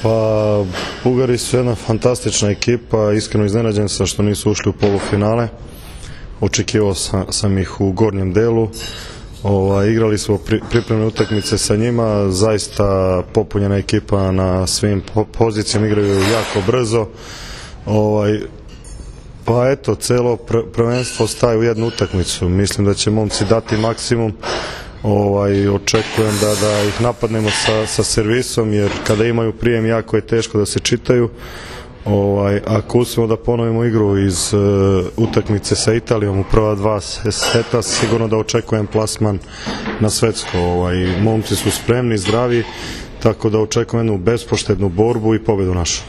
Pa, Bugari su jedna fantastična ekipa, iskreno iznenađen sam što nisu ušli u polufinale. Očekivao sam ih u gornjem delu. Igrali smo pripremne utakmice sa njima, zaista popunjena ekipa na svim pozicijama, igraju jako brzo. Pa eto, celo prvenstvo staje u jednu utakmicu. Mislim da će momci dati maksimum. Očekujem da ih napadnemo sa servisom, jer kada imaju prijem jako je teško da se čitaju. Ako uspijemo da ponovimo igru iz utakmice sa Italijom u prva dva seta, sigurno da očekujem plasman na svetsko. Momci su spremni, zdravi, tako da očekujem jednu bespoštednu borbu i pobedu našu.